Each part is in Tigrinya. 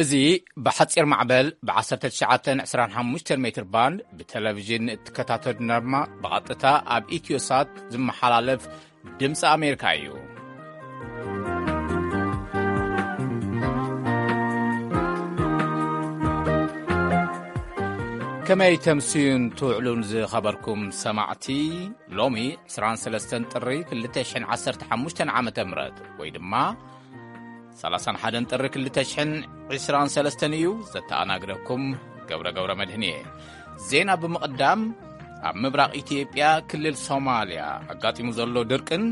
እዚ ብሓጺር ማዕበል ብ1925 ሜትር ባንድ ብቴሌቪዥን እትከታተሉ ድማ ብቐጥታ ኣብ ኢትዮሳት ዝመሓላለፍ ድምፂ ኣሜሪካ እዩ። ከመይ ተምስዩን ትውዕሉን ዝኸበርኩም ሰማዕቲ? ሎሚ 23 ጥሪ 2015 ዓመተ ምህረት ወይ ድማ 31 ጥሪ 2023 እዩ። ዘተኣናግደኩም ገብረ ገብረ መድህን እየ። ዜና ብምቕዳም፣ ኣብ ምብራቕ ኢትዮጵያ ክልል ሶማልያ ኣጋጢሙ ዘሎ ድርቅን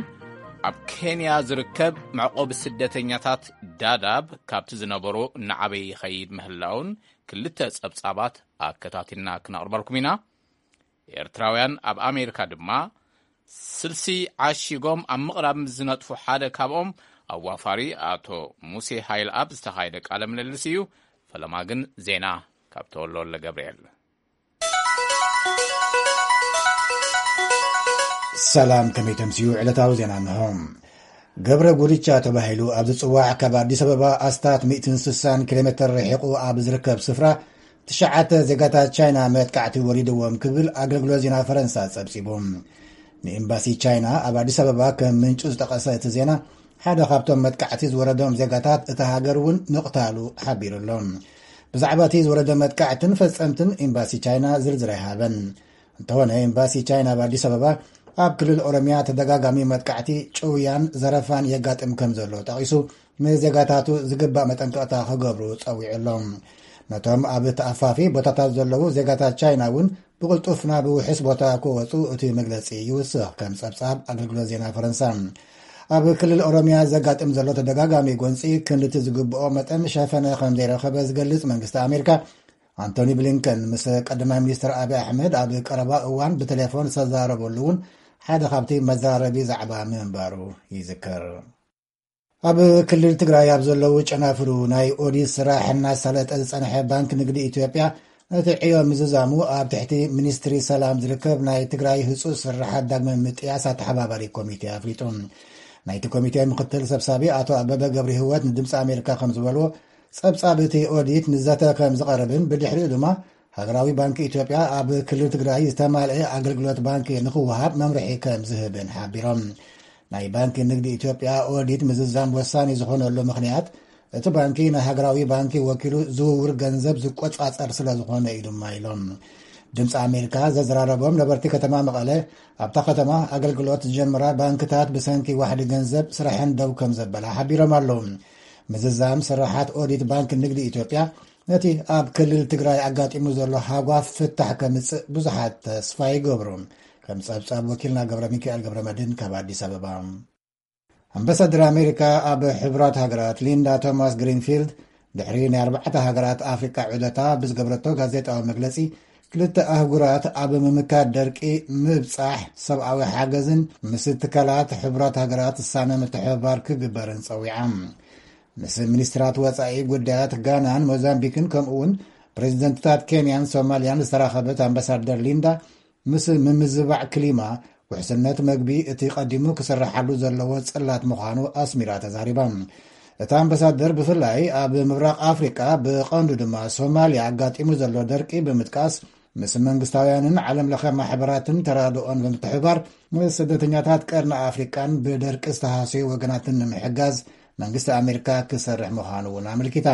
ኣብ ኬንያ ዝርከብ መዕቆቢ ስደተኛታት ዳዳብ ካብቲ ዝነበሮ እናዓበየ ይኸይድ ምህላውን ክልተ ጸብጻባት ኣከታቲልና ክነቕርበልኩም ኢና። ኤርትራውያን ኣብ ኣሜሪካ ድማ ስልሲ ዓሺጎም ኣብ ምቕራብ ምስ ዝነጥፉ ሓደ ካብኦም ኣዋፋሪ ኣቶ ሙሴ ሃይልኣብ ዝተኻየደ ቃለ ምልልስ እዩ። ፈለማ ግን ዜና ካብ ተወልደ ወልደ ገብርኤል። ሰላም፣ ከመይ ተምስዩ? ዕለታዊ ዜና እንሆ። ገብረ ጉድቻ ተባሂሉ ኣብ ዝጽዋዕ ካብ ኣዲስ ኣበባ ኣስታት 160 ኪሎ ሜትር ርሒቑ ኣብ ዝርከብ ስፍራ ትሽዓተ ዜጋታት ቻይና መጥቃዕቲ ወሪድዎም ክብል ኣገልግሎት ዜና ፈረንሳ ጸብጺቡ። ንኤምባሲ ቻይና ኣብ ኣዲስ ኣበባ ከም ምንጩ ዝጠቐሰ እቲ ዜና፣ ሓደ ካብቶም መጥቃዕቲ ዝወረዶም ዜጋታት እታ ሃገር እውን ምቕታሉ ሓቢሩ ኣሎ። ብዛዕባ እቲ ዝወረደ መጥቃዕትን ፈጸምትን ኤምባሲ ቻይና ዝርዝር ኣይሃበን። እንተኾነ ኤምባሲ ቻይና ኣብ ኣዲስ ኣበባ ኣብ ክልል ኦሮሚያ ተደጋጋሚ መጥቃዕቲ፣ ጭውያን ዘረፋን የጋጥም ከም ዘሎ ጠቒሱ፣ ንዜጋታቱ ዝግባእ መጠንቀቕታ ክገብሩ ጸዊዑ ኣሎ። ነቶም ኣብ ተኣፋፊ ቦታታት ዘለዉ ዜጋታት ቻይና እውን ብቕልጡፍ ናብ ውሑስ ቦታ ክወጹ እቲ መግለጺ ይውስኽ፣ ከም ጸብጻብ ኣገልግሎት ዜና ፈረንሳ። ኣብ ክልል ኦሮሚያ ዘጋጥም ዘሎ ተደጋጋሚ ጎንጺ ክንድቲ ዝግብኦ መጠን ሸፈነ ከም ዘይረኸበ ዝገልጽ መንግስቲ ኣሜሪካ፣ ኣንቶኒ ብሊንከን ምስ ቀዳማይ ሚኒስትር ኣብይ ኣሕመድ ኣብ ቀረባ እዋን ብቴሌፎን ዝተዛረበሉ እውን ሓደ ካብቲ መዘራረቢ ዛዕባ ምንባሩ ይዝከር። ኣብ ክልል ትግራይ ኣብ ዘለዉ ጨናፍሩ ናይ ኦዲት ስራሕ እናሳለጠ ዝጸንሐ ባንክ ንግዲ ኢትዮጵያ፣ ነቲ ዕዮ ምዝዛሙ ኣብ ትሕቲ ሚኒስትሪ ሰላም ዝርከብ ናይ ትግራይ ህጹጽ ስራሓት ዳግመ ምጥያስ ኣተሓባባሪ ኮሚቴ ኣፍሊጡ። ናይቲ ኮሚቴ ምክትል ሰብሳቢ ኣቶ ኣበበ ገብረ ህይወት ንድምፂ ኣሜሪካ ከም ዝበልዎ፣ ጸብጻብ እቲ ኦዲት ንዘተ ከም ዝቐርብን ብድሕሪኡ ድማ ሃገራዊ ባንክ ኢትዮጵያ ኣብ ክልል ትግራይ ዝተማልአ ኣገልግሎት ባንክ ንክወሃብ መምርሒ ከም ዝህብን ሓቢሮም። ናይ ባንክ ንግዲ ኢትዮጵያ ኦዲት ምዝዛም ወሳኒ ዝኾነሉ ምኽንያት፣ እቲ ባንኪ ናይ ሃገራዊ ባንኪ ወኪሉ ዝውውር ገንዘብ ዝቆጻጸር ስለ ዝኾነ እዩ ድማ ኢሎም። ድምፂ ኣሜሪካ ዘዘራረቦም ነበርቲ ከተማ መቐለ፣ ኣብታ ከተማ ኣገልግሎት ዝጀመራ ባንክታት ብሰንኪ ዋሕዲ ገንዘብ ስራሐን ደው ከም ዘበላ ሓቢሮም ኣለዉ። ምዝዛም ስራሓት ኦዲት ባንክ ንግዲ ኢትዮጵያ ነቲ ኣብ ክልል ትግራይ ኣጋጢሙ ዘሎ ሃጓፍ ፍታሕ ከምጽእ ብዙሓት ተስፋ ይገብሩ። ከም ጸብጻብ ወኪልና ገብረ ሚካኤል ገብረ መድህን ካብ ኣዲስ ኣበባ። ኣምባሳደር ኣሜሪካ ኣብ ሕቡራት ሃገራት ሊንዳ ቶማስ ግሪንፊልድ፣ ድሕሪ ናይ ኣርባዕተ ሃገራት ኣፍሪቃ ዑደታ ብዝገብረቶ ጋዜጣዊ መግለጺ፣ ክልተ ኣህጉራት ኣብ ምምካት ደርቂ፣ ምብጻሕ ሰብኣዊ ሓገዝን ምስ ትካላት ሕቡራት ሃገራት ዝሳነ ምትሕብባር ክግበርን ጸዊዓ። ምስ ሚኒስትራት ወጻኢ ጉዳያት ጋናን ሞዛምቢክን ከምኡ እውን ፕሬዚደንትታት ኬንያን ሶማልያን ዝተራኸበት ኣምባሳደር ሊንዳ፣ ምስ ምምዝባዕ ክሊማ፣ ውሕስነት መግቢ እቲ ቀዲሙ ክስርሓሉ ዘለዎ ጽላት ምዃኑ ኣስሚራ ተዛሪባ። እታ ኣምባሳደር ብፍላይ ኣብ ምብራቕ ኣፍሪቃ ብቐንዱ ድማ ሶማልያ ኣጋጢሙ ዘሎ ደርቂ ብምጥቃስ፣ ምስ መንግስታውያንን ዓለም ለኸ ማሕበራትን ተራድኦን ብምትሕብባር፣ ምስ ስደተኛታት ቀርኒ ኣፍሪቃን ብደርቂ ዝተሃሰዩ ወገናትን ንምሕጋዝ መንግስቲ ኣሜሪካ ክሰርሕ ምዃኑ እውን ኣመልኪታ።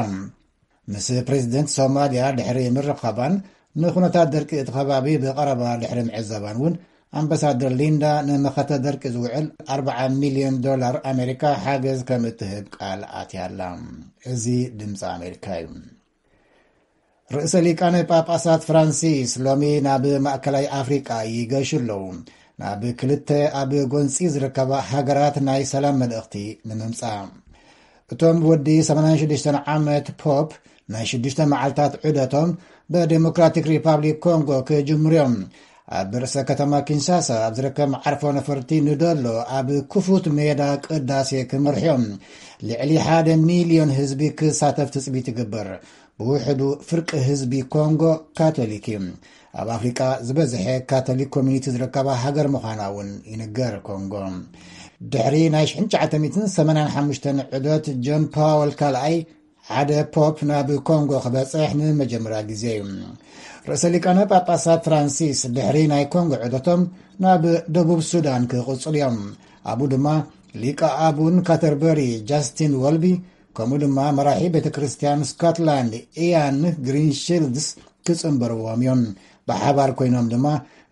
ምስ ፕሬዚደንት ሶማልያ ድሕሪ ምርኻባን ንኩነታት ደርቂ እቲ ከባቢ ብቐረባ ድሕሪ ምዕዛባን እውን፣ ኣምባሳደር ሊንዳ ንመኸተ ደርቂ ዝውዕል 40 ሚልዮን ዶላር ኣሜሪካ ሓገዝ ከም እትህብ ቃል ኣትያ ኣላ። እዚ ድምፂ ኣሜሪካ እዩ። ርእሰ ሊቃነ ጳጳሳት ፍራንሲስ ሎሚ ናብ ማእከላይ ኣፍሪቃ ይገሹ ኣለዉ፣ ናብ ክልተ ኣብ ጎንጺ ዝርከባ ሃገራት ናይ ሰላም መልእኽቲ ንምምጻእ። እቶም ወዲ 86 ዓመት ፖፕ ናይ ሽዱሽተ መዓልታት ዑደቶም ብዴሞክራቲክ ሪፓብሊክ ኮንጎ ክጅምሩ እዮም። ኣብ ርእሰ ከተማ ኪንሻሳ ኣብ ዝርከብ መዓርፎ ነፈርቲ ንደሎ ኣብ ክፉት ሜዳ ቅዳሴ ክመርሑ እዮም። ልዕሊ ሓደ ሚልዮን ህዝቢ ክሳተፍ ትጽቢት ይግበር። ብውሕዱ ፍርቂ ህዝቢ ኮንጎ ካቶሊክ እዩ። ኣብ ኣፍሪቃ ዝበዝሐ ካቶሊክ ኮሚኒቲ ዝርከባ ሃገር ምዃና እውን ይንገር ኮንጎ። ድሕሪ ናይ 1985 ዑደት ጆን ፓወል ካልኣይ ሓደ ፖፕ ናብ ኮንጎ ክበጽሕ ንመጀመርያ ግዜ እዩ። ርእሰ ሊቃነ ጳጳሳት ፍራንሲስ ድሕሪ ናይ ኮንጎ ዑደቶም ናብ ደቡብ ሱዳን ክቕጽሉ እዮም። ኣብኡ ድማ ሊቀ ኣቡን ካተርበሪ ጃስቲን ወልቢ፣ ከምኡ ድማ መራሒ ቤተ ክርስቲያን ስኮትላንድ ኢያን ግሪንሺልድስ ክጽንበርዎም እዮም። ብሓባር ኮይኖም ድማ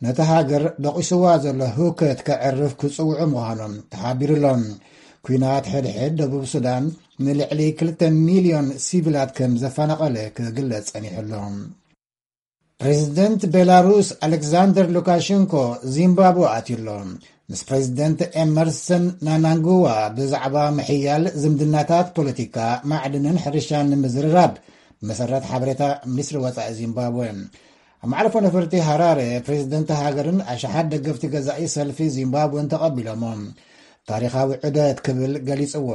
ነቲ ሃገር ደቂስዋ ዘሎ ህውከት ከዕርፍ ክጽውዑ ምዃኖም ተሓቢሩ ኣሎ። ኲናት ሕድሕድ ደቡብ ሱዳን ንልዕሊ ክልተ ሚልዮን ሲቪላት ከም ዘፈናቐለ ክግለጽ ጸኒሑ ኣሎ። ፕሬዚደንት ቤላሩስ ኣሌክሳንደር ሉካሸንኮ ዚምባብወ ኣትዩ ኣሎ። ምስ ፕሬዚደንት ኤመርሰን ናናንጉዋ ብዛዕባ ምሕያል ዝምድናታት ፖለቲካ፣ ማዕድንን ሕርሻን ንምዝርራብ ብመሰረት ሓበሬታ ሚኒስትሪ ወጻኢ ዚምባብወ። ኣብ መዕርፎ ነፈርቲ ሃራረ ፕሬዚደንት ሃገርን ኣሽሓት ደገፍቲ ገዛኢ ሰልፊ ዚምባብወን ተቐቢሎሞ። ታሪኻዊ ዑደት ክብል ገሊጽዎ።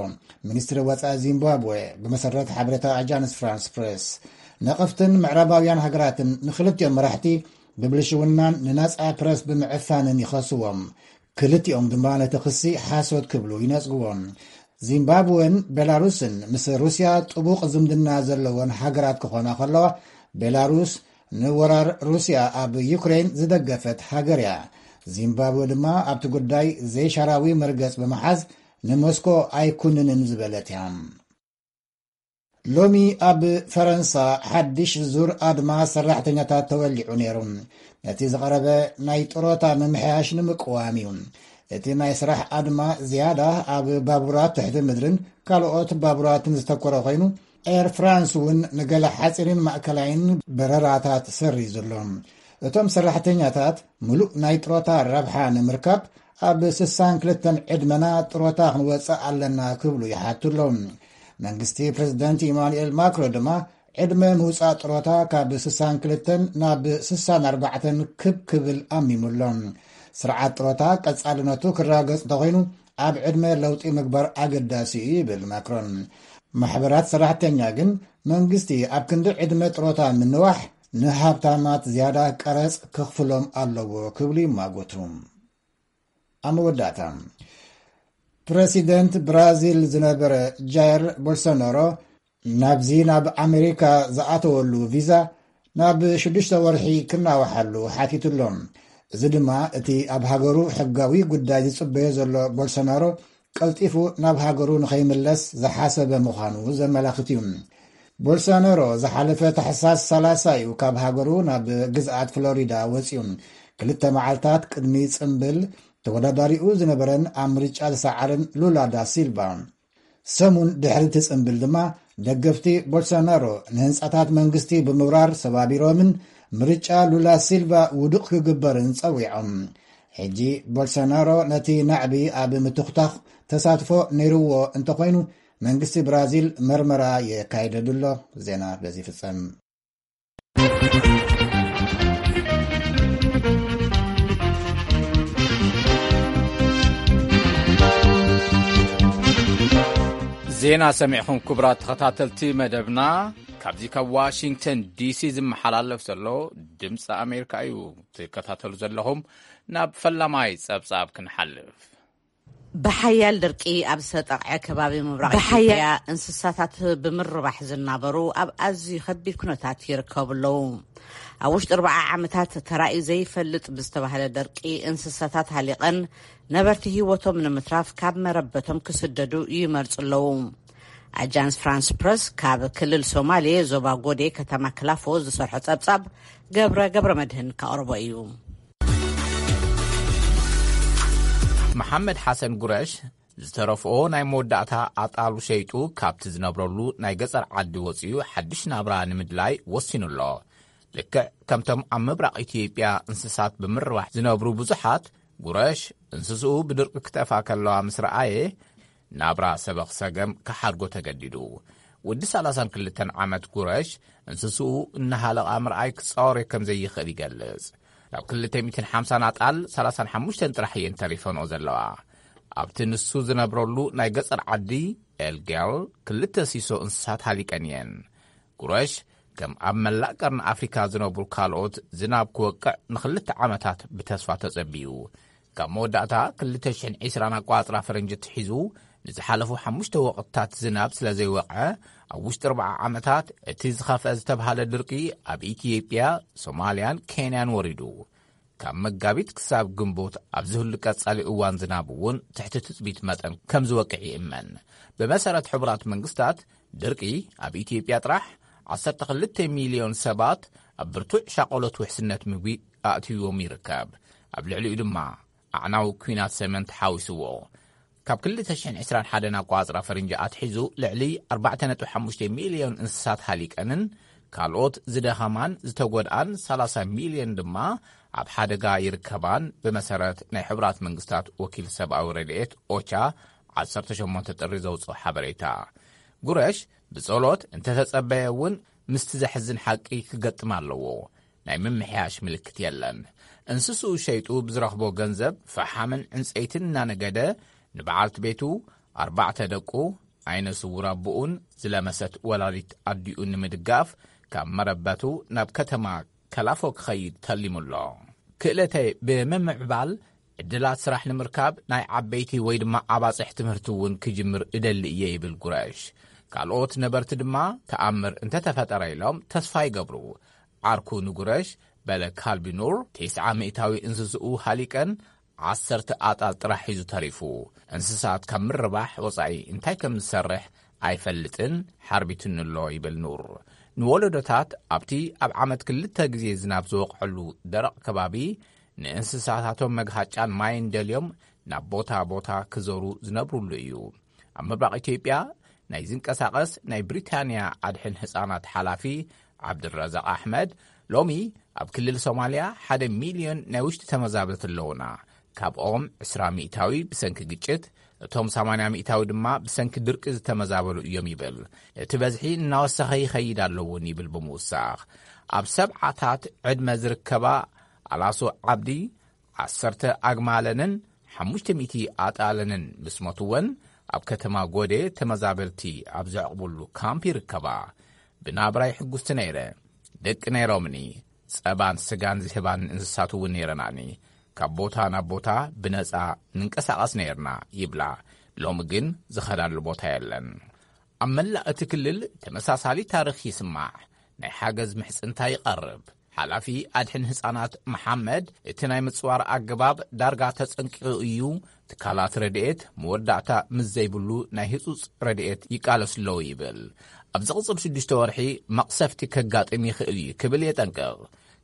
ሚኒስትሪ ወጻኢ ዚምባብወ ብመሰረት ሓበሬታ ኣጃንስ ፍራንስ ፕሬስ፣ ነቐፍትን ምዕራባውያን ሃገራትን ንክልቲኦም መራሕቲ ብብልሽውናን ንናጻ ፕረስ ብምዕፋንን ይኸስዎም። ክልቲኦም ድማ ነቲ ክሲ ሓሶት ክብሉ ይነጽግዎ። ዚምባብወን ቤላሩስን ምስ ሩስያ ጥቡቕ ዝምድና ዘለወን ሃገራት ክኾና ከለዋ፣ ቤላሩስ ንወራር ሩስያ ኣብ ዩክሬን ዝደገፈት ሃገር እያ። ዚምባብወ ድማ ኣብቲ ጉዳይ ዘይሻራዊ መርገጽ ብምሓዝ ንሞስኮ ኣይኩንንን ዝበለት እያ። ሎሚ ኣብ ፈረንሳ ሓድሽ ዙር ኣድማ ሰራሕተኛታት ተወሊዑ ነይሩ። ነቲ ዝቐረበ ናይ ጥሮታ ምምሕያሽ ንምቅዋም እዩ። እቲ ናይ ስራሕ ኣድማ ዝያዳ ኣብ ባቡራት ትሕቲ ምድርን ካልኦት ባቡራትን ዝተኮረ ኮይኑ፣ ኤር ፍራንስ እውን ንገለ ሓጺርን ማእከላይን በረራታት ሰሪዙ ኣሎ። እቶም ሰራሕተኛታት ምሉእ ናይ ጥሮታ ረብሓ ንምርካብ ኣብ ስሳን ክልተን ዕድመና ጥሮታ ክንወጽእ ኣለና ክብሉ ይሓቱ ኣለዉ። መንግስቲ ፕሬዚደንት ኢማኑኤል ማክሮ ድማ ዕድመ ምውጻእ ጥሮታ ካብ ስሳን ክልተን ናብ ስሳን ኣርባዕተን ክብ ክብል ኣሚሙ ኣሎ። ስርዓት ጥሮታ ቀጻልነቱ ክረጋገጽ እንተኾይኑ ኣብ ዕድመ ለውጢ ምግባር ኣገዳሲ እዩ ይብል ማክሮን። ማሕበራት ሰራሕተኛ ግን መንግስቲ ኣብ ክንዲ ዕድመ ጥሮታ ምንዋሕ ንሃብታማት ዝያዳ ቀረጽ ከኽፍሎም ኣለዎ ክብሉ ይማጎቱ። ኣብ መወዳእታ፣ ፕረሲደንት ብራዚል ዝነበረ ጃይር ቦልሶናሮ ናብዚ ናብ ኣሜሪካ ዝኣተወሉ ቪዛ ናብ ሽዱሽተ ወርሒ ክናዋሓሉ ሓቲቱ ኣሎ። እዚ ድማ እቲ ኣብ ሃገሩ ሕጋዊ ጉዳይ ዝጽበዮ ዘሎ ቦልሶናሮ ቀልጢፉ ናብ ሃገሩ ንኸይምለስ ዝሓሰበ ምዃኑ ዘመላኽት እዩ። ቦልሶናሮ ዝሓለፈ ታሕሳስ ሰላሳ እዩ ካብ ሃገሩ ናብ ግዝኣት ፍሎሪዳ ወጺኡ። ክልተ መዓልታት ቅድሚ ጽምብል ተወዳዳሪኡ ዝነበረን ኣብ ምርጫ ዝሰዓረን ሉላ ዳ ሲልቫ። ሰሙን ድሕሪ እቲ ጽምብል ድማ ደገፍቲ ቦልሶናሮ ንህንጻታት መንግስቲ ብምብራር ሰባቢሮምን ምርጫ ሉላ ሲልቫ ውዱቕ ክግበርን ጸዊዖም። ሕጂ ቦልሶናሮ ነቲ ናዕቢ ኣብ ምትኹታኽ ተሳትፎ ነይርዎ እንተኾይኑ፣ መንግስቲ ብራዚል መርመራ የካይደሉ ኣሎ። ዜና በዚ ይፍጸም። ዜና ሰሚዕኹም ክቡራት ተኸታተልቲ መደብና፣ ካብዚ ካብ ዋሽንግተን ዲሲ ዝመሓላለፍ ዘሎ ድምፂ ኣሜሪካ እዩ ትከታተሉ ዘለኹም። ናብ ፈላማይ ጸብጻብ ክንሓልፍ። ብሓያል ድርቂ ኣብ ዝተጠቕዐ ከባቢ ምብራቕ ብሓያል ኢትዮጵያ እንስሳታት ብምርባሕ ዝናበሩ ኣብ ኣዝዩ ከቢድ ኩነታት ይርከቡ ኣለዉ። ኣብ ውሽጢ ኣርባዓ ዓመታት ተራእዩ ዘይፈልጥ ብዝተባህለ ድርቂ እንስሳታት ሃሊቐን ነበርቲ ህይወቶም ንምትራፍ ካብ መረበቶም ክስደዱ ይመርጹ ኣለዉ። ኣጃንስ ፍራንስ ፕረስ ካብ ክልል ሶማሌ ዞባ ጎዴ ከተማ ክላፎ ዝሰርሖ ጸብጻብ ገብረ ገብረ መድህን ከቕርቦ እዩ። መሓመድ ሓሰን ጉረሽ ዝተረፍኦ ናይ መወዳእታ ኣጣሉ ሸይጡ ካብቲ ዝነብረሉ ናይ ገጸር ዓዲ ወጺኡ ሓድሽ ናብራ ንምድላይ ወሲኑ ኣሎ። ልክዕ ከምቶም ኣብ ምብራቕ ኢትዮጵያ እንስሳት ብምርባሕ ዝነብሩ ብዙሓት፣ ጉረሽ እንስስኡ ብድርቂ ክጠፍኣ ከለዋ ምስ ረኣየ፣ ናብራ ሰበኽ ሰገም ክሓድጎ ተገዲዱ። ወዲ ሰላሳን ክልተን ዓመት ጉረሽ እንስስኡ እናሃለቓ ምርኣይ ክጻወር ከም ዘይኽእል ይገልጽ። ናብ ክልተ ሚእትን ሓምሳን ኣጣል ሰላሳን ሓሙሽተን ጥራሕ እየን ተሪፈንኦ ዘለዋ። ኣብቲ ንሱ ዝነብረሉ ናይ ገጸር ዓዲ ኤልጌል ክልተ ሲሶ እንስሳት ሃሊቀን እየን። ጉረሽ ከም ኣብ መላእ ቀርኒ ኣፍሪካ ዝነብሩ ካልኦት ዝናብ ክወቅዕ ንኽልተ ዓመታት ብተስፋ ተጸቢዩ። ካብ መወዳእታ ክልተ ሽሕን ዕስራን ኣቋጽራ ፈረንጂ ትሒዙ ንዝሓለፉ ሓሙሽተ ወቕትታት ዝናብ ስለ ዘይወቕዐ፣ ኣብ ውሽጢ ኣርብዓ ዓመታት እቲ ዝኸፍአ ዝተብሃለ ድርቂ ኣብ ኢትዮጵያ፣ ሶማልያን ኬንያን ወሪዱ። ካብ መጋቢት ክሳብ ግንቦት ኣብዚ ህሉ ቀጻሊ እዋን ዝናብ እውን ትሕቲ ትጽቢት መጠን ከም ዝወቅዕ ይእመን። ብመሰረት ሕቡራት መንግስታት፣ ድርቂ ኣብ ኢትዮጵያ ጥራሕ ዓሰርተ ክልተ ሚልዮን ሰባት ኣብ ብርቱዕ ሻቆሎት ውሕስነት ምግቢ ኣእትይዎም ይርከብ። ኣብ ልዕሊኡ ድማ ኣዕናዊ ኲናት ሰሜን ተሓዊስዎ። ካብ ክልተ ሽሕን ዕስራን ሓደን ኣቋጽራ ፈረንጂ ኣትሒዙ ልዕሊ ኣርባዕተ ነጥቢ ሓሙሽተ ሚልዮን እንስሳት ሃሊቀንን ካልኦት ዝደኸማን ዝተጎድኣን ሰላሳ ሚልዮን ድማ ኣብ ሓደጋ ይርከባን፣ ብመሰረት ናይ ሕቡራት መንግስታት ወኪል ሰብኣዊ ረድኤት ኦቻ ዓሰርተ ሸሞንተ ጥሪ ዘውፅኦ ሓበሬታ። ጉረሽ ብጸሎት እንተተጸበየ እውን ምስቲ ዘሕዝን ሓቂ ክገጥም ኣለዎ። ናይ ምምሕያሽ ምልክት የለን። እንስስኡ ሸይጡ ብዝረኽቦ ገንዘብ ፈሓምን ዕንጸይትን እናነገደ ንበዓልቲ ቤቱ ኣርባዕተ ደቁ፣ ዓይነ ስውር ኣቦኡን ዝለመሰት ወላዲት ኣዲኡ ንምድጋፍ ካብ መረበቱ ናብ ከተማ ከላፎ ክኸይድ ተሊሙ ኣሎ። ክእለተይ ብምምዕባል ዕድላት ስራሕ ንምርካብ ናይ ዓበይቲ ወይ ድማ ኣባጽሕ ትምህርቲ እውን ክጅምር እደሊ እየ ይብል ጉረሽ። ካልኦት ነበርቲ ድማ ተኣምር እንተተፈጠረ ኢሎም ተስፋ ይገብሩ። ዓርኩ ንጉረሽ በለ ካልቢ ኑር፣ ተስዓ ሚእታዊ እንስስኡ ሃሊቀን ዓሰርተ ኣጣል ጥራሕ ሒዙ ተሪፉ። እንስሳት ካብ ምርባሕ ወጻኢ እንታይ ከም ዝሰርሕ ኣይፈልጥን፣ ሓርቢትኒ ኣሎ ይብል ኑር። ንወለዶታት ኣብቲ ኣብ ዓመት ክልተ ግዜ ዝናብ ዝወቕዐሉ ደረቕ ከባቢ ንእንስሳታቶም መግሃጫን ማይን ደልዮም ናብ ቦታ ቦታ ክዞሩ ዝነብሩሉ እዩ። ኣብ ምብራቕ ኢትዮጵያ ናይ ዝንቀሳቐስ ናይ ብሪታንያ ኣድሕን ህጻናት ሓላፊ ዓብድረዛቕ ኣሕመድ፣ ሎሚ ኣብ ክልል ሶማልያ ሓደ ሚልዮን ናይ ውሽጢ ተመዛበልቲ ኣለውና። ካብኦም ዕስራ ሚእታዊ ብሰንኪ ግጭት፣ እቶም ሰማንያ ሚእታዊ ድማ ብሰንኪ ድርቂ ዝተመዛበሉ እዮም ይብል። እቲ በዝሒ እናወሰኸ ይኸይድ ኣለውን ይብል ብምውሳኽ። ኣብ ሰብዓታት ዕድመ ዝርከባ ኣላሶ ዓብዲ ዓሰርተ ኣግማለንን ሓሙሽተ ሚእቲ ኣጣለንን ምስ ሞትወን፣ ኣብ ከተማ ጎዴ ተመዛበልቲ ኣብ ዘዕቕብሉ ካምፕ ይርከባ። ብናብራይ ሕጉስቲ ነይረ። ደቂ ነይሮምኒ። ጸባን ስጋን ዝህባን እንስሳት እውን ነይረናኒ። ካብ ቦታ ናብ ቦታ ብነጻ ንንቀሳቐስ ነይርና ይብላ። ሎሚ ግን ዝኸዳሉ ቦታ የለን። ኣብ መላእ እቲ ክልል ተመሳሳሊ ታሪኽ ይስማዕ። ናይ ሓገዝ ምሕጽንታ ይቐርብ። ሓላፊ ኣድሕን ህጻናት መሓመድ፣ እቲ ናይ ምጽዋር ኣገባብ ዳርጋ ተጸንቂቑ እዩ። ትካላት ረድኤት መወዳእታ ምስ ዘይብሉ ናይ ህጹጽ ረድኤት ይቃለሱ ኣለዉ ይብል። ኣብ ዝቕጽል ሽዱሽተ ወርሒ መቕሰፍቲ ከጋጥም ይኽእል እዩ ክብል የጠንቅቕ።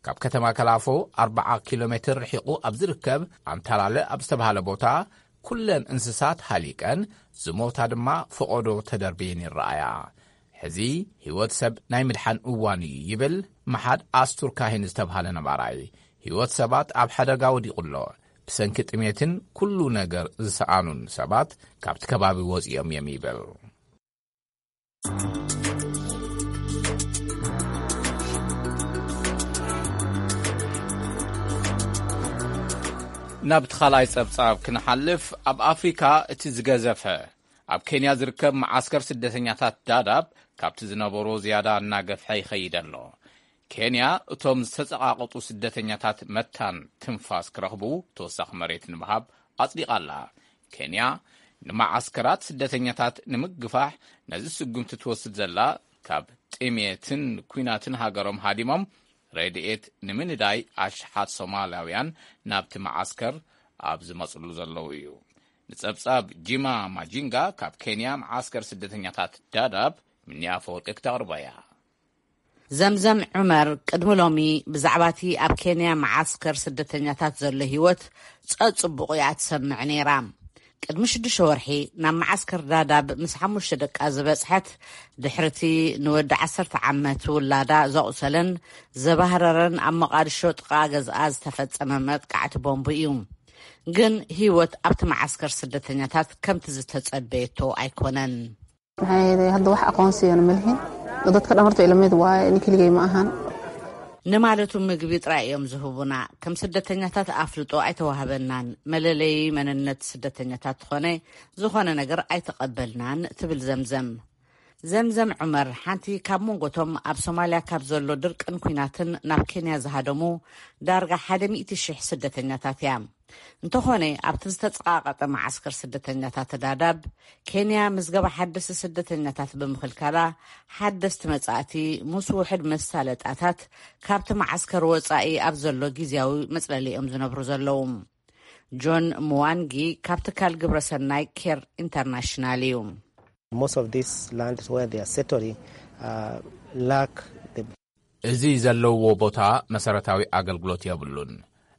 ካብ ከተማ ከላፎ ኣርብዓ ኪሎ ሜትር ርሒቑ ኣብ ዝርከብ ኣንታላለ ኣብ ዝተባህለ ቦታ፣ ኩለን እንስሳት ሃሊቀን ዝሞታ ድማ ፈቐዶ ተደርብየን ይረኣያ። ሕዚ ህይወት ሰብ ናይ ምድሓን እዋን እዩ ይብል መሓድ ኣስቱር ካሂን ዝተብሃለ ነባራይ። ህይወት ሰባት ኣብ ሓደጋ ወዲቑ ኣሎ። ብሰንኪ ጥሜትን ኩሉ ነገር ዝሰኣኑን ሰባት ካብቲ ከባቢ ወፂኦም እዮም ይብል። ናብ እቲ ካልኣይ ጸብጻብ ክንሓልፍ፣ ኣብ ኣፍሪካ እቲ ዝገዘፈ ኣብ ኬንያ ዝርከብ መዓስከር ስደተኛታት ዳዳብ ካብቲ ዝነበሮ ዝያዳ እናገፍሐ ይኸይድ ኣሎ። ኬንያ እቶም ዝተጸቓቐጡ ስደተኛታት መታን ትንፋስ ክረኽቡ ተወሳኺ መሬት ንምሃብ ኣጽዲቓ ኣላ። ኬንያ ንመዓስከራት ስደተኛታት ንምግፋሕ ነዚ ስጉምቲ ትወስድ ዘላ፣ ካብ ጥሜትን ኲናትን ሃገሮም ሃዲሞም ረድኤት ንምንዳይ ኣሽሓት ሶማላውያን ናብቲ መዓስከር ኣብ ዝመጽሉ ዘለዉ እዩ። ንጸብጻብ ጂማ ማጂንጋ ካብ ኬንያ መዓስከር ስደተኛታት ዳዳብ፣ ምንያ ኣፈወርቂ ክተቕርቦ እያ። ዘምዘም ዑመር ቅድሚ ሎሚ ብዛዕባ እቲ ኣብ ኬንያ መዓስከር ስደተኛታት ዘሎ ህይወት ጸጽቡቑ እያ ትሰምዕ ነይራ። ቅድሚ ሽዱሽተ ወርሒ ናብ መዓስከር ዳዳብ ምስ ሓሙሽተ ደቃ ዝበጽሐት፣ ድሕርቲ ንወዲ ዓሰርተ ዓመት ውላዳ ዘቑሰለን ዘባህረረን ኣብ መቓድሾ ጥቓ ገዝኣ ዝተፈጸመ መጥቃዕቲ ቦምቡ እዩ። ግን ህይወት ኣብቲ መዓስከር ስደተኛታት ከምቲ ዝተጸበየቶ ኣይኮነን። Maxay hadda wax aqoonsigan ma lihin. Dadka dhamarta ilameed waaye, nin keligay ma ahan. ንማለቱ ምግቢ ጥራይ እዮም ዝህቡና። ከም ስደተኛታት ኣፍልጦ ኣይተዋህበናን። መለለዪ መንነት ስደተኛታት ዝኾነ፣ ዝኾነ ነገር ኣይተቐበልናን ትብል ዘምዘም። ዘምዘም ዑመር ሓንቲ ካብ መንጎቶም ኣብ ሶማልያ ካብ ዘሎ ድርቅን ኲናትን ናብ ኬንያ ዝሃደሙ ዳርጋ ሓደ ሚእቲ ሽሕ ስደተኛታት እያ። እንተኾነ፣ ኣብቲ ዝተጸቓቐጠ መዓስከር ስደተኛታት ዳዳብ፣ ኬንያ ምዝገባ ሓደስቲ ስደተኛታት ብምኽልካላ፣ ሓደስቲ መጻእቲ ምስ ውሑድ መሳለጣታት ካብቲ መዓስከር ወጻኢ ኣብ ዘሎ ግዝያዊ መጽለሊ እዮም ዝነብሩ ዘለዉ። ጆን ምዋንጊ ካብ ትካል ግብረሰናይ ኬር ኢንተርናሽናል እዩ። Most of these lands where they are settling, uh, lack the እዚ ዘለውዎ ቦታ መሰረታዊ ኣገልግሎት የብሉን።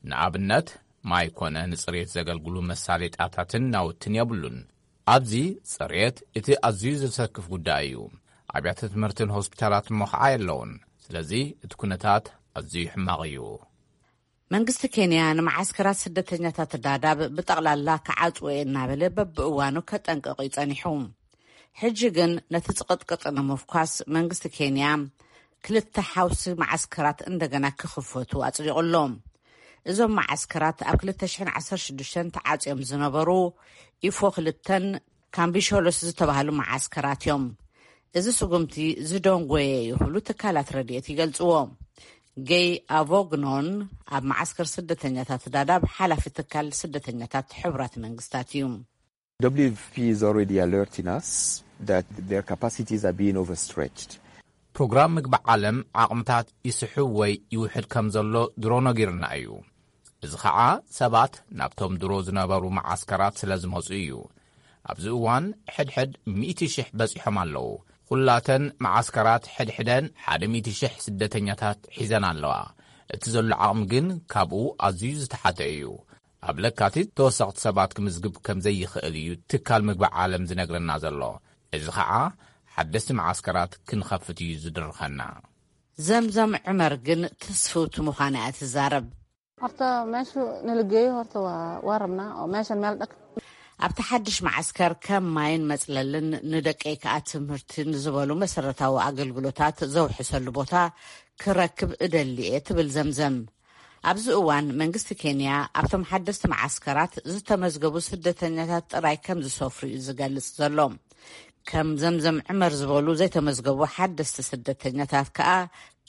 ንኣብነት፣ ማይ ኮነ ንጽሬት ዘገልግሉ መሳሌጣታትን ናውትን የብሉን። ኣብዚ ጽሬት እቲ ኣዝዩ ዘሰክፍ ጉዳይ እዩ። ኣብያተ ትምህርትን ሆስፒታላት እሞ ኸዓ የለውን። ስለዚ እቲ ኩነታት ኣዝዩ ሕማቕ እዩ። መንግስቲ ኬንያ ንመዓስከራት ስደተኛታት ዳዳብ ብጠቕላላ ክዓጽዎ እየ እናበለ በብእዋኑ ከጠንቅቕ እዩ ጸኒሑ። ሕጂ ግን ነቲ ጽቕጥቅጥ ንምፍኳስ መንግስቲ ኬንያ ክልተ ሓውሲ መዓስከራት እንደገና ክኽፈቱ ኣጽዲቑ ኣሎ። እዞም መዓስከራት ኣብ ክልተ ሽሕን ዓሰርተ ሽዱሽተን ተዓጽዮም ዝነበሩ ኢፎ ክልተን ካምቢሾሎስ ዝተባህሉ መዓስከራት እዮም። እዚ ስጉምቲ ዝደንጎየ እዩ ክብሉ ትካላት ረድኤት ይገልጽዎ። ገይ ኣቮግኖን ኣብ መዓስከር ስደተኛታት ዳዳብ ሓላፊ ትካል ስደተኛታት ሕቡራት መንግስታት እዩ። W F P is already alerting us that their capacities are being overstretched. ፕሮግራም ምግቢ ዓለም ዓቕምታት ይስሕብ ወይ ይውሕድ ከም ዘሎ ድሮ ነጊርና እዩ። እዚ ኸዓ ሰባት ናብቶም ድሮ ዝነበሩ መዓስከራት ስለ ዝመጹ እዩ። ኣብዚ እዋን ሕድሕድ ሚእቲ ሽሕ በጺሖም ኣለዉ። ኩላተን መዓስከራት ሕድሕደን ሓደ ሚእቲ ሽሕ ስደተኛታት ሒዘን ኣለዋ። እቲ ዘሎ ዓቕሚ ግን ካብኡ ኣዝዩ ዝተሓተ እዩ። ኣብ ለካቲት ተወሰኽቲ ሰባት ክምዝግብ ከም ዘይኽእል እዩ ትካል ምግቢ ዓለም ዝነግረና ዘሎ። እዚ ኸዓ ሓደስቲ መዓስከራት ክንኸፍት እዩ ዝድርኸና። ዘምዘም ዑመር ግን ትስፍውቲ ምዃና እያ ትዛረብ። Horta meeshu nala geeyo horta waa waa rabnaa oo meeshan meel dhag ኣብቲ ሓድሽ መዓስከር ከም ማይን መጽለልን ንደቀይ ከኣ ትምህርትን ዝበሉ መሰረታዊ ኣገልግሎታት ዘውሕሰሉ ቦታ ክረክብ እደሊ እየ ትብል ዘምዘም። ኣብዚ እዋን መንግስቲ ኬንያ ኣብቶም ሓደስቲ መዓስከራት ዝተመዝገቡ ስደተኛታት ጥራይ ከም ዝሰፍሩ እዩ ዝገልጽ ዘሎ። ከም ዘምዘም ዕመር ዝበሉ ዘይተመዝገቡ ሓደስቲ ስደተኛታት ከኣ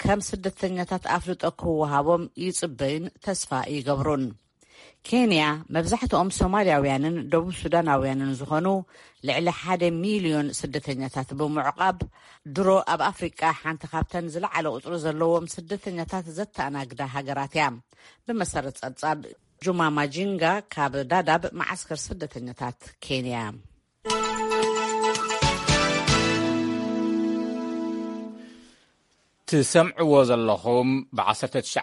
ከም ስደተኛታት ኣፍልጦ ክወሃቦም ይጽበዩን ተስፋ ይገብሩን። ኬንያ መብዛሕትኦም ሶማልያውያንን ደቡብ ሱዳናውያንን ዝኾኑ ልዕሊ ሓደ ሚልዮን ስደተኛታት ብምዕቋብ፣ ድሮ ኣብ ኣፍሪቃ ሓንቲ ካብተን ዝለዓለ ቁጽሪ ዘለዎም ስደተኛታት ዘተኣናግዳ ሃገራት እያ። ብመሰረት ጸብጻብ ጁማ ማጂንጋ ካብ ዳዳብ መዓስከር ስደተኛታት ኬንያ። ትሰምዕዎ ዘለኹም ብ19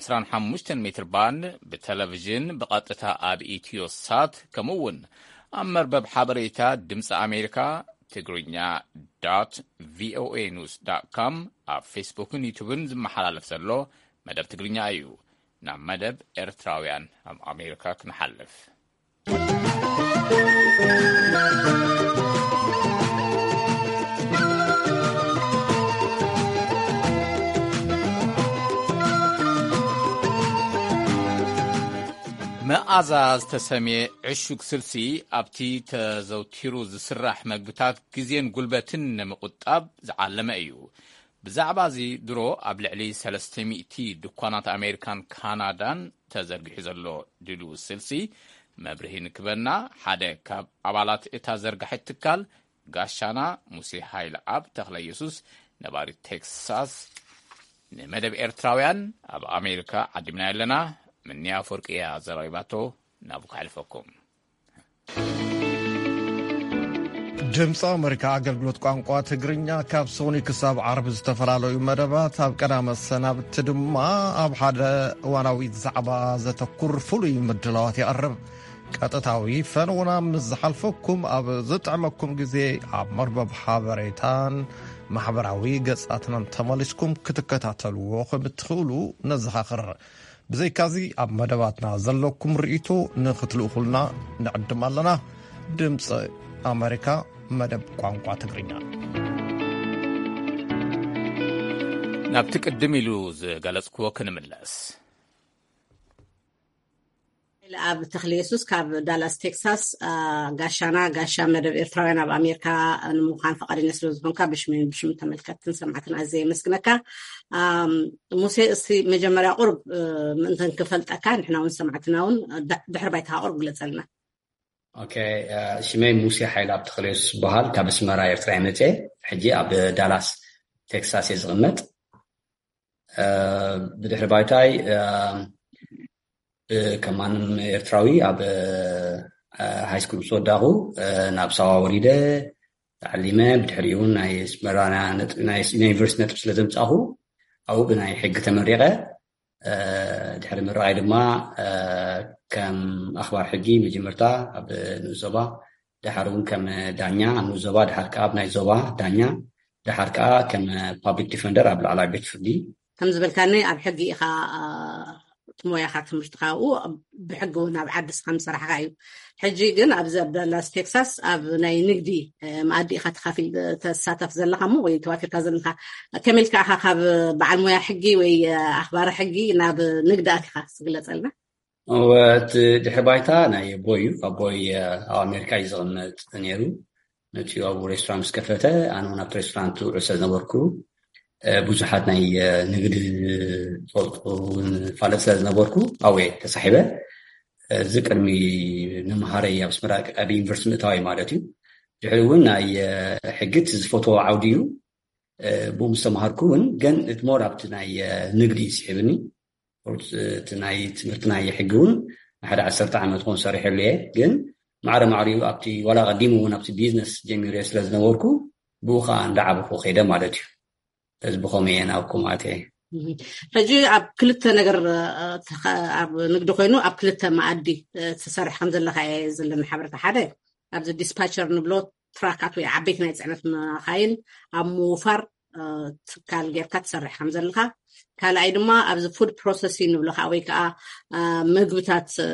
25 ሜትር ባንድ ብቴሌቪዥን ብቐጥታ ኣብ ኢትዮ ሳት፣ ከምኡ እውን ኣብ መርበብ ሓበሬታ ድምፂ ኣሜሪካ ትግርኛ ዶት ቪኦኤ ኒውስ ዶት ኮም፣ ኣብ ፌስቡክን ዩቱብን ዝመሓላለፍ ዘሎ መደብ ትግርኛ እዩ። ናብ መደብ ኤርትራውያን ኣብ ኣሜሪካ ክንሓልፍ። መኣዛ ዝተሰምየ ዕሹግ ስልሲ ኣብቲ ተዘውቲሩ ዝስራሕ መግብታት ግዜን ጉልበትን ንምቑጣብ ዝዓለመ እዩ። ብዛዕባ እዚ ድሮ ኣብ ልዕሊ ሰለስተ ሚእቲ ድኳናት ኣሜሪካን ካናዳን ተዘርጊሑ ዘሎ ድልው ስልሲ መብርሂ ንክበና ሓደ ካብ ኣባላት እታ ዘርጋሒት ትካል ጋሻና ሙሴ ሃይለ ኣብ ተኽለ ኢየሱስ ነባሪ ቴክሳስ ንመደብ ኤርትራውያን ኣብ ኣሜሪካ ዓዲምና ኣለና ምንያ ኣፈወርቂ እያ ዘራዊባቶ። ናብኡ ከሕልፈኩም። ድምፂ ኣመሪካ ኣገልግሎት ቋንቋ ትግርኛ ካብ ሶኒ ክሳብ ዓርቢ ዝተፈላለዩ መደባት፣ ኣብ ቀዳመ ሰናብቲ ድማ ኣብ ሓደ እዋናዊ ዛዕባ ዘተኩር ፍሉይ ምድላዋት የቕርብ። ቀጥታዊ ፈነውና ምስ ዝሓልፈኩም፣ ኣብ ዝጥዕመኩም ግዜ ኣብ መርበብ ሓበሬታን ማሕበራዊ ገጻትናን ተመሊስኩም ክትከታተልዎ ከም እትኽእሉ ነዘኻኽር። ብዘይካዚ፣ ኣብ መደባትና ዘለኩም ርእይቶ ንኽትልእኹልና ንዕድም ኣለና። ድምፂ ኣመሪካ፣ መደብ ቋንቋ ትግርኛ። ናብቲ ቅድም ኢሉ ዝገለጽክዎ ክንምለስ። ኣብ ተኽለ የሱስ ካብ ዳላስ ቴክሳስ፣ አ፣ ጋሻና፣ ጋሻ መደብ ኤርትራውያን ኣብ ኣሜሪካ ንምዃን ፈቓደኛ ስለ ዝኾንካ ብሽሚ፣ ብሽም ተመልከትትን ሰማዕትን ኣዝየ የመስግነካ። ኣም፣ ሙሴ፣ እስቲ መጀመርያ ቁርብ፣ እ፣ ምእንተን ክፈልጠካ ንሕና እውን ሰማዕትና እውን ድ-፣ ድሕሪ ባይታኻ ቁርብ ግለጸልና። ኦኬ፣ እ፣ ሽመይ ሙሴ ሓይለ ኣብ ተኽለ የሱስ ዝበሃል፣ ካብ ኣስመራ ኤርትራ እየ መጽየ። ሕጂ ኣብ ዳላስ ቴክሳስ እየ ዝቕመጥ። እ፣ ብድሕሪ ባይታይ፣ እ፣ እ፣ ከም ማንም ኤርትራዊ ኣብ፣ እ፣ ሃይስኩል ምስ ወዳኹ፣ እ፣ ናብ ሳዋ ወሪደ ተዓሊመ። ብድሕሪኡ እውን ናይ ኣስመራ ነጥ-፣ ናይ ዩኒቨርሲቲ ነጥብ ስለ ዘምጻኹ፣ ኣብኡ ብናይ ሕጊ ተመሪቐ። እ፣ ድሕሪ ምርቓይ ድማ፣ እ፣ ከም ኣኽባር ሕጊ መጀመርታ ኣብ ንኡስ ዞባ፣ ደሓር እውን ከም ዳኛ ኣብ ንኡስ ዞባ፣ ደሓር ከኣ ኣብ ናይ ዞባ ዳኛ፣ ደሓር ከኣ ከም ፓብሊክ ዲፈንደር ኣብ ላዕለዋይ ቤት ፍርዲ። ከም ዝበልካኒ ኣብ ሕጊ ኢኻ፣ እ፣ እቲ ሞያኻ ትምህርትኻ ኣብኡ ብሕጊ እውን ኣብ ዓዲ ስኻ ምሰራሕኻ እዩ። ሕጂ ግን ኣብዚ ኣብ ዳላስ ቴክሳስ ኣብ ናይ ንግዲ፣ እ፣ መኣዲ ኢኻ ተኻፊል፣ ተሳተፍ ዘለኻ እሞ ወይ ተዋፊርካ ዘለኻ። ከመይ ኢልካ ኢኻ ካብ በዓል ሞያ ሕጊ ወይ፣ እ፣ ኣኽባሪ ሕጊ ናብ ንግዲ ኣቲኻ ዝግለጸልና? እወ፣ እቲ ድሕሪ ባይታ ናይ ኣቦይ እዩ። ኣቦይ፣ እ፣ ኣብ ኣሜሪካ እዩ ዝቕመጥ ነይሩ። ነቲ ኣብኡ ሬስቶራንት ምስ ከፈተ፣ ኣነ እውን ኣብቲ ሬስቶራንት ውዕል ስለ ዝነበርኩ፣ እ፣ ብዙሓት ናይ፣ እ፣ ንግዲ ዝፈልጡ እውን ፋለጥ ስለ ዝነበርኩ፣ ኣብኡ እየ ተሳሒበ። እዚ ቅድሚ ምምሃረይ ኣብ ኣስመራ ኣብ ዩኒቨርሲቲ ምእታወይ ማለት እዩ። ድሕሪ እውን ናይ፣ እ፣ ሕጊ እቲ ዝፈትዎ ዓውዲ እዩ። እ፣ ብኡ ምስ ተምሃርኩ እውን ግን እቲ ሞር ኣብቲ ናይ፣ እ፣ ንግዲ እዩ ስሒብኒ። ቁርፅ እቲ ናይ ትምህርቲ ናይ ሕጊ እውን ንሓደ ዓሰርተ ዓመት ኾን ሰሪሐሉ እየ። ግን ማዕረ ማዕሪኡ ኣብቲ ዋላ ቀዲሙ እውን ኣብቲ ቢዝነስ ጀሚሩ እየ ስለ ዝነበርኩ ብኡ ከዓ እንዳዓበኹ ከይደ ማለት እዩ። እዚ ብኸመይ እየ ናብኩም ኣትየ? እህ። ሕጂ ኣብ ክልተ ነገር፣ እ፣ ተኸ-፣ ኣብ ንግዲ ኮይኑ ኣብ ክልተ መኣዲ፣ እ፣ ትሰርሕ ከም ዘለኻ እየ ዘለኒ ሓበሬታ። ሓደ ኣብዚ ዲስፓቸር ንብሎ ትራካት ወይ ዓበይቲ ናይ ጽዕነት መኻይን ኣብ ምውፋር፣ እ፣ ትካል ጌርካ ትሰርሕ ከም ዘለኻ። ካልኣይ ድማ ኣብዚ ፉድ ፕሮሰሲንግ ንብሎ ከዓ ወይ ከዓ፣ እ፣ ምግብታት፣ እ፣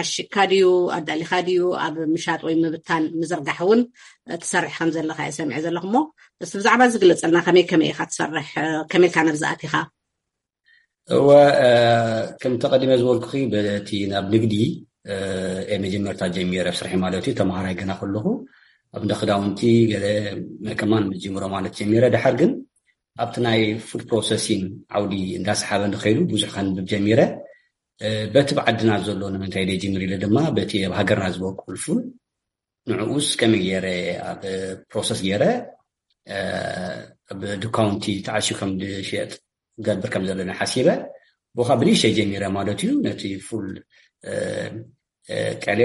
ዓሺግካ ድዩ ኣዳሊኻ ድዩ ኣብ ምሻጥ ወይ ምብታን ምዝርጋሕ እውን ትሰርሕ ከም ዘለኻ እየ ሰሚዐ ዘለኹ። እሞ እስቲ ብዛዕባ እዚ ግለጸልና፣ ከመይ ከመይ ኢኻ ትሰርሕ? ከመይ ኢልካ ነብዚ ኣቲኻ? እወ፣ እ፣ ከም ተቐዲመ ዝበልኩኺ በቲ ናብ ንግዲ፣ እ፣ እየ መጀመርታ ጀሚረ ስርሒ ማለት እዩ። ተምሃራይ ገና ከለኹ ኣብ እንዳ ክዳውንቲ ገለ ከማን መጀመሮ ማለት ጀሚረ። ድሓር ግን ኣብቲ ናይ ፉድ ፕሮሰሲንግ ዓውዲ እንዳሰሓበ ንኸይዱ ብዙሕ ከንብብ ጀሚረ። እ፣ በቲ ብዓድና ዘሎ ንምንታይ ደይ ጀሚር ኢለ ድማ በቲ ኣብ ሃገርና ዝበቁል ፉል ንዕኡስ ከመይ ገይረ ኣብ ፕሮሰስ ገይረ፣ እ፣ ኣብ ድኳውንቲ ተዓሽዩ ከም ዝሽየጥ ገብር ከም ዘለኒ ሓሲበ፣ ብኻ ብንእሽተይ ጀሚረ ማለት እዩ። ነቲ ፉል፣ እ፣ እ፣ ቀለ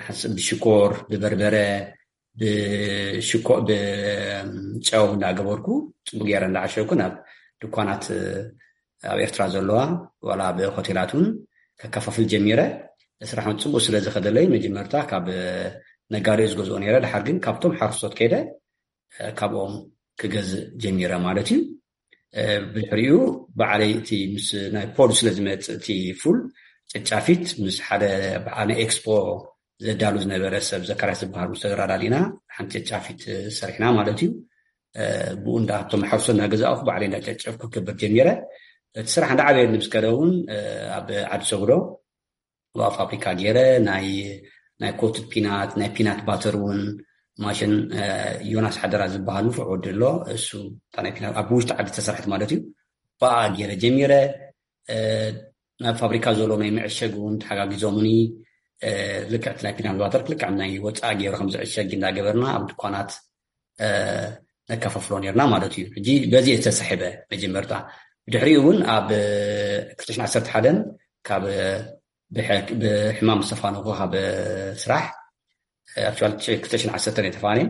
ሓስ-፣ ብሽኮር፣ ብበርበረ፣ ብሽኮ-፣ ብጨው እንዳገበርኩ ጽቡቅ ገይረ እንዳዓሸግኩ ናብ ድኳናት ኣብ ኤርትራ ዘለዋ ዋላ ኣብ ሆቴላት እውን ከከፋፍል ጀሚረ። ስራሕ እውን ጽቡቅ ስለ ዝኸደለይ መጀመርታ ካብ ነጋዴ ዝገዝኦ ነይረ። ድሓር ግን ካብቶም ሓረስቶት ከይደ፣ እ፣ ካብኦም ክገዝእ ጀሚረ ማለት እዩ። እ፣ ብድሕሪኡ ባዕለይ እቲ ምስ ናይ ፖድ ስለ ዝመጽእ እቲ ፉል ጨጫፊት ምስ ሓደ በዓል ናይ ኤክስፖ ዘዳሉ ዝነበረ ሰብ ዘካርያስ ዝበሃል ምስ ተደራዳሪና ሓንቲ ጨጫፊት ሰሪሕና ማለት እዩ። እ፣ ብኡ እንዳ እቶም ሓረስቶት እናገዛእኩ ባዕለይ እንዳጨጨፍኩ ክገብር ጀሚረ። እቲ ስራሕ እንዳዓበየኒ ምስ ከደ እውን፣ እ፣ ኣብ ዓዲ ሰጉዶ ዋ ፋብሪካ ገይረ ናይ፣ ናይ ኮትድ ፒናት፣ ናይ ፒናት ባተር እውን ማሽን፣ እ፣ ዮናስ ሓደራ ዝበሃል ንፉዕ ወዲ ኣሎ። እሱ እታ ናይ ፒናት ኣብ ውሽጢ ዓዲ ዝተሰርሐት ማለት እዩ። ብኣ ገይረ ጀሚረ። እ፣ ናብ ፋብሪካ ዘሎ ናይ መዕሸግ እውን ተሓጋጊዞምኒ። እ፣ ልክዕ እቲ ናይ ፒናት ባተር ልክዕ ናይ ወፃኢ ገይሩ ከም ዝዕሸግ እንዳገበርና ኣብ ድኳናት፣ እ፣ ነከፋፍሎ ነርና ማለት እዩ። ሕጂ በዚ እየ ዝተሳሒበ መጀመርታ። ብድሕሪኡ እውን ኣብ ክልተ ሽሕን ዓሰርተ ሓደን ካብ ብሕ-፣ ብሕማም ዝተፋነኹ ካብ ስራሕ፣ ኣክቹዋሊ ክልተ ሽሕን ዓሰርተን እየ ተፋንየ።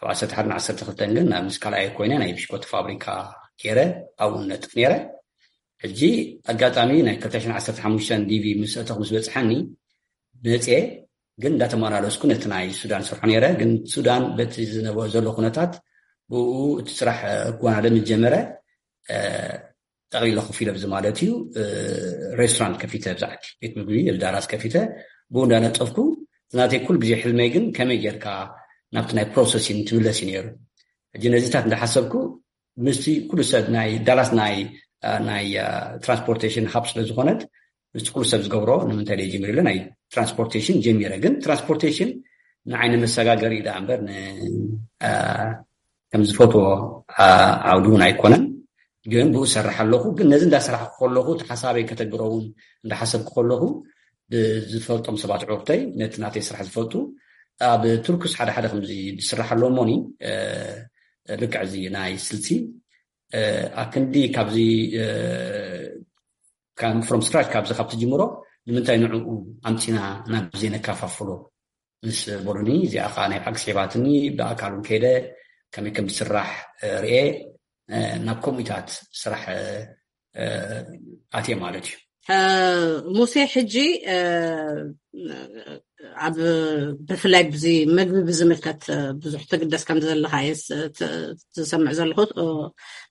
ኣብ ዓሰርተ ሓደን ዓሰርተ ክልተን ግን ናብ ምስ ካልኣየ ኮይነ ናይ ብሽኮቲ ፋብሪካ ገይረ ኣብኡ ነጥፍ ነይረ። ሕጂ ኣጋጣሚ ናይ ክልተ ሽሕን ዓሰርተ ሓሙሽተን ዲቪ ምስ ኣተኹ ምስ በጽሐኒ መጽየ፣ ግን እንዳተመላለስኩ ነቲ ናይ ሱዳን ስርሖ ነይረ። ግን ሱዳን በቲ ዝነበ ዘሎ ኩነታት ብኡ እቲ ስራሕ ክወናደ ምስ ጀመረ፣ እ፣ ጠቕሊለ ኮፍ ኢለ ብዚ ማለት እዩ፣ እ፣ ሬስቶራንት ከፊተ፣ ብዛዕቲ ቤት ምግቢ ኣብ ዳላስ ከፊተ ብኡ እንዳነጠፍኩ፣ እቲ ናተይ ኩሉ ግዜ ሕልመይ ግን ከመይ ጌርካ ናብቲ ናይ ፕሮሰሲንግ ትምለስ እዩ ነይሩ። ሕጂ ነዚታት እንዳሓሰብኩ ምስቲ ኩሉ ሰብ ናይ ዳላስ ናይ፣ እ፣ ናይ፣ እ፣ ትራንስፖርቴሽን ሃብ ስለ ዝኾነት ምስ ኩሉ ሰብ ዝገብሮ ንምንታይ ደይ ጀሚር ኢለ ናይ ትራንስፖርቴሽን ጀሚረ። ግን ትራንስፖርቴሽን ንዓይ ንመሰጋገሪ ዳ እምበር ን-፣ አ፣ ከም ዝፈትዎ፣ አ፣ ዓውዲ እውን ኣይኮነን። ግን ብኡ ሰርሕ ኣለኹ። ግን ነዚ እንዳሰራሕኩ ከለኹ እቲ ሓሳበይ ከተግብሮ እውን እንዳሓሰብኩ ከለኹ ብዝፈልጦም ሰባት ዕርተይ ነቲ ናተይ ስራሕ ዝፈልጡ ኣብ ቱርክስ ሓደ ሓደ ከምዚ ዝስራሕ ኣሎ እሞኒ፣ እ፣ ልክዕ እዚ ናይ ስልሲ፣ እ፣ ኣክንዲ ካብዚ፣ እ፣ ከም from scratch ካብዚ ካብ ትጅምሮ ንምንታይ ንዕኡ ኣምጺና ናብ ዘይነካፋፍሎ ምስ በሉኒ፣ እዚኣ ኸዓ ናይ ብሓቂ ስሒባትኒ፣ ብኣካል እውን ከይደ ከመይ ከም ዝስራሕ፣ እ፣ ርኤ፣ እ፣ ናብ ከምኡታት ስራሕ፣ እ፣ እ፣ ኣትየ ማለት እዩ። እ፣ ሙሴ፣ ሕጂ፣ እ፣ ኣብ፣ ብፍላይ ብዚ መግቢ ብዝምልከት፣ እ፣ ብዙሕ ትግደስ ከም ዘለኻ እየ ስ-፣ ት-፣ ዝሰምዕ ዘለኹ፣ እ፣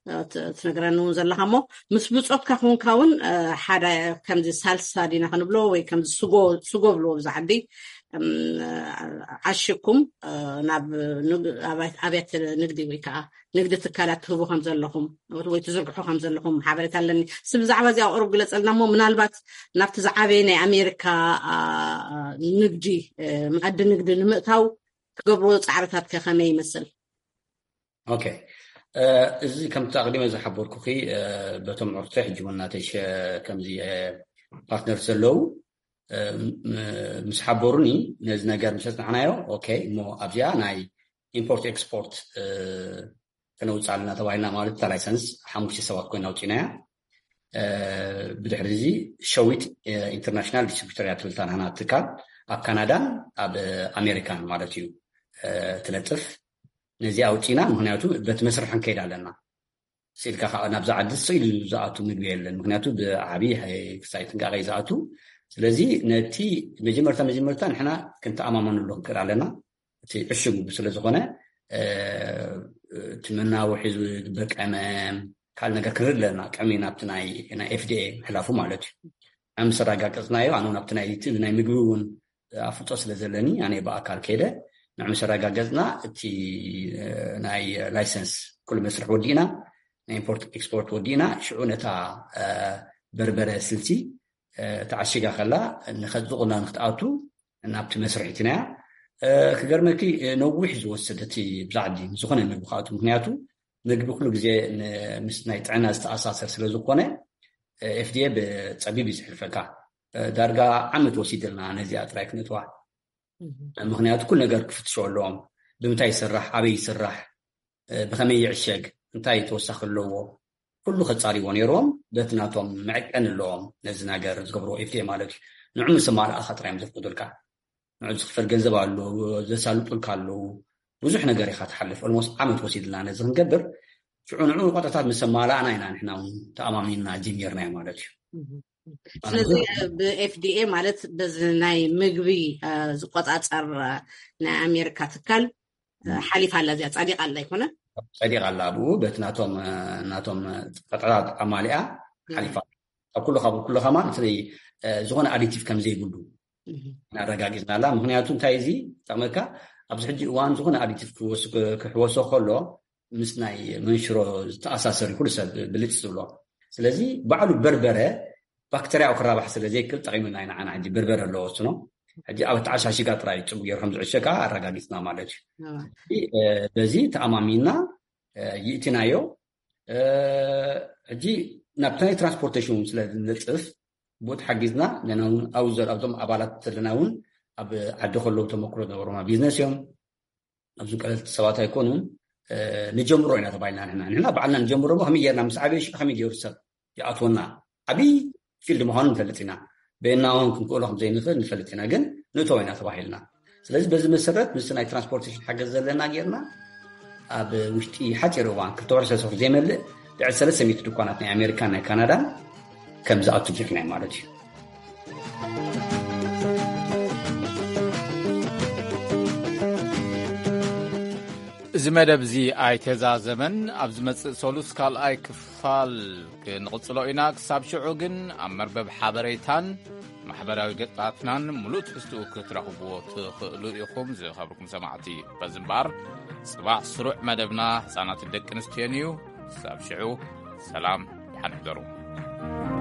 እ፣ ት-፣ ትነግረኒ እውን ዘለኻ እሞ፣ ምስ ብጾትካ ክውንካ እውን፣ እ፣ ሓደ ከምዚ ሳልሳ ዲና ክንብሎ ወይ ከምዚ ስጎ፣ ስጎ ብልዎ ብዛ ዓዲ፣ እም፣ ዓሽኩም፣ እ፣ ናብ ንግ-፣ ኣብያ-፣ ኣብያተ ንግዲ ወይ ከዓ ንግዲ ትካላት ትህቡ ከም ዘለኹም ወይ ትዝርግሑ ከም ዘለኹም ሓበሬታ ኣለኒ። እስቲ ብዛዕባ እዚኣ ቁሩብ ግለጸልና እሞ፣ ምናልባት ናብቲ ዝዓበየ ናይ ኣሜሪካ፣ አ፣ ንግዲ፣ እ፣ መኣዲ ንግዲ ንምእታው ትገብርዎ ጻዕርታት ከ ከመይ ይመስል? ኦኬ። እ፣ እዚ ከምቲ ኣቕዲመ ዝሓበርኩኺ፣ እ፣ በቶም ዕርተ ሕጂ እውን ናተይ ሸ-፣ ከምዚ፣ እ፣ ፓርትነር ዘለዉ፣ እ፣ ም-፣ ምስ ሓበሩኒ ነዚ ነገር ምስ ኣጽናዕናዮ፣ ኦኬ፣ እሞ ኣብዚኣ ናይ ኢምፖርት ኤክስፖርት፣ እ፣ ከነውጽእ ኣለና ተባሂልና ማለት እታ ላይሰንስ ሓሙሽተ ሰባት ኮይና ኣውጺእናያ። እ፣ ብድሕሪ እዚ ሸዊት፣ እ፣ ኢንተርናሽናል ዲስትሪቢዩተር እያ ትብል እታ ናህና ትካል ኣብ ካናዳን ኣብ ኣሜሪካን ማለት እዩ፣ እ፣ ትለጥፍ። ነዚ ኣውጺእና፣ ምኽንያቱ በቲ መስርሕ ክንከይድ ኣለና። ስኢልካ ከዓ ናብዛ ዓዲ ስኢሉ ዝኣቱ ምግቢ የለን። ምኽንያቱ ብዓብዪ ክሳይ ጥንቃቐ እዩ ዝኣቱ። ስለዚ ነቲ መጀመርታ መጀመርታ ንሕና ክንተኣማመነሉ ክንክእል ኣለና። እቲ ዕሹግ ስለ ዝኾነ፣ እ፣ እቲ መናውሒ ዝግበር ቀመም፣ ካልእ ነገር ክንርኢ ኣለና። ቅድሚ ናብቲ ናይ፣ ናይ ኤፍ ዲ ኤ ምሕላፉ ማለት እዩ። ኣብ ምስ ኣረጋገጽናዮ፣ ኣነ እውን ኣብቲ ናይ፣ እቲ ናይ ምግቢ እውን ኣፍልጦ ስለ ዘለኒ፣ ኣነ ብኣካል ከይደ ንዕ ምስ ኣረጋገጽና፣ እቲ፣ እ፣ ናይ ላይሰንስ ኩሉ መስርሕ ወዲእና፣ ናይ ኢምፖርት ኤክስፖርት ወዲእና፣ ሽዑ ነታ፣ እ፣ በርበረ ስልሲ፣ እ፣ ተዓሺጋ ከላ ንኸ-፣ ዝቑና ንክትኣቱ ናብቲ መስርሕ እቲናያ። እ፣ ክገርመኪ፣ እ፣ ነዊሕ ዝወሰደ እቲ ብዛዕዲ ዝኾነ ምግቢ ክኣቱ። ምክንያቱ ምግቢ ኩሉ ግዜ ን-፣ ምስ ናይ ጥዕና ዝተኣሳሰር ስለ ዝኾነ፣ እ፣ ኤፍ ዲ ኤ ብጸቢብ እዩ ዝሕልፈካ። እ፣ ዳርጋ ዓመት ወሲድልና ነዚኣ ጥራይ ክነእትዋ። ምክንያቱ ኩሉ ነገር ክፍትሾ ኣለዎም። ብምንታይ ይስራሕ፣ ኣበይ ይስራሕ፣ እ፣ ብኸመይ ይዕሸግ፣ እንታይ ተወሳኺ ኣለዎ፣ ኩሉ ከጻርይዎ ነይርዎም። በቲ ናቶም መዐቀኒ ኣለዎም ነዚ ነገር ዝገብርዎ ኤፍ ዲ ኤ ማለት እዩ። ንዑ ምስ ኣማልኣኻ ጥራይ እዮም ዘፍቅዱልካ። ንዑ ዝኽፈል ገንዘብ ኣሎ፣ ዘሳልጡልካ ኣለዉ። ብዙሕ ነገር ኢኻ ትሓልፍ። ኦልሞስት ዓመት ወሲድልና ነዚ ክንገብር። ሽዑ ንዑ ቆጠታት ምስ ኣማላእና ኢና ንሕና እውን ተኣማሚንና ጀሚርናዮ ማለት እዩ። ስለዚ ብ ኤፍ ዲ ኤ ማለት በዚ ናይ ምግቢ፣ እ፣ ዝቆጻጸር፣ እ፣ ናይ ኣሜሪካ ትካል፣ እ፣ ሓሊፋ ኣላ እዚኣ፣ ጸዲቓ ኣላ ኣይኮነን? ጸዲቓ ኣላ። ኣብኡ በቲ ናቶም፣ እ፣ ናቶም፣ እ፣ ቀጠታት ኣማሊኣ ሓሊፋ። ኣብ ኩሉ ካብ ኩሉ ከማን እቲ፣ እ፣ ዝኾነ ኣዲቲቭ ከም ዘይብሉ ኣረጋጊጽና ኣላ። ምክንያቱ እንታይ እዚ ጠቕመካ፣ ኣብዚ ሕጂ እዋን ዝኾነ ኣዲቲቭ ክወስ-፣ ክሕወሶ ከሎ ምስ ናይ መንሽሮ ዝተኣሳሰር ኩሉ ሰብ ብልጭ ዝብሎ። ስለዚ ባዕሉ በርበረ ባክተርያኡ ክራባሕ ስለ ዘይክእል ጠቒሙና ኢና። ንዓና ሕጂ በርበረ ኣለዎ ወስኖ። ሕጂ ኣብ ተዓሻሽጋ ጥራይ ጽቡቕ ገይሩ ከም ዝዕሸ ከኣ ኣረጋጊጽና ማለት እዩ። እዋ። እዚ፣ እ፣ በዚ ተኣማሚንና፣ እ፣ ይእቲናዮ። እ፣ ሕጂ ናብቲ ናይ ትራንስፖርቴሽን እውን ስለ ዝነጥፍ ብኡ ተሓጊዝና፣ ንሕና እውን ኣብኡ ዘ-፣ ኣብዞም ኣባላት ዘለና እውን ኣብ ዓዲ ከለዉ ተመክሮ ዝነበሮም ቢዝነስ እዮም። ኣብዞም ቀለልቲ ሰባት ኣይኮኑን። እ፣ ንጀምሮ ኢና ተባሂልና ንሕና። ንሕና ባዕልና ንጀምሮ እሞ ከመይ ጌርና ምስ ዓበየ ሽዑ ከመይ ገይሩ ሰብ ይኣትወና? ዓብዪ ፊልድ ምዃኑ ንፈልጥ ኢና። በየናውን ክንክእሎ ከም ዘይንኽእል ንፈልጥ ኢና፣ ግን ንእተዎ ኢና ተባሂልና። ስለዚ በዚ መሰረት ምስቲ ናይ ትራንስፖርቴሽን ሓገዝ ዘለና ጌርና ኣብ ውሽጢ ሓፂር እዋን ክልተ ወርሒ ሰለስተ ወርሒ ዘይመልእ ልዕሊ ሰለስተ ሚእቲ ድኳናት ናይ ኣሜሪካን ናይ ካናዳን ከም ዝኣቱ ጌርና ማለት እዩ። እዚ መደብ እዚ ኣይተዛዘመን። ኣብ ዝመጽእ ሰሉስ ካልኣይ ክፋል ክንቕጽሎ ኢና። ክሳብ ሽዑ ግን ኣብ መርበብ ሓበሬታን ማሕበራዊ ገጻትናን ምሉእ ትሕዝትኡ ክትረኽብዎ ትኽእሉ ኢኹም። ዝኸብርኩም ሰማዕቲ፣ በዚ እምበኣር ጽባሕ ስሩዕ መደብና ህጻናትን ደቂ ኣንስትዮን እዩ። ክሳብ ሽዑ ሰላም፣ ደሓን ሕደሩ።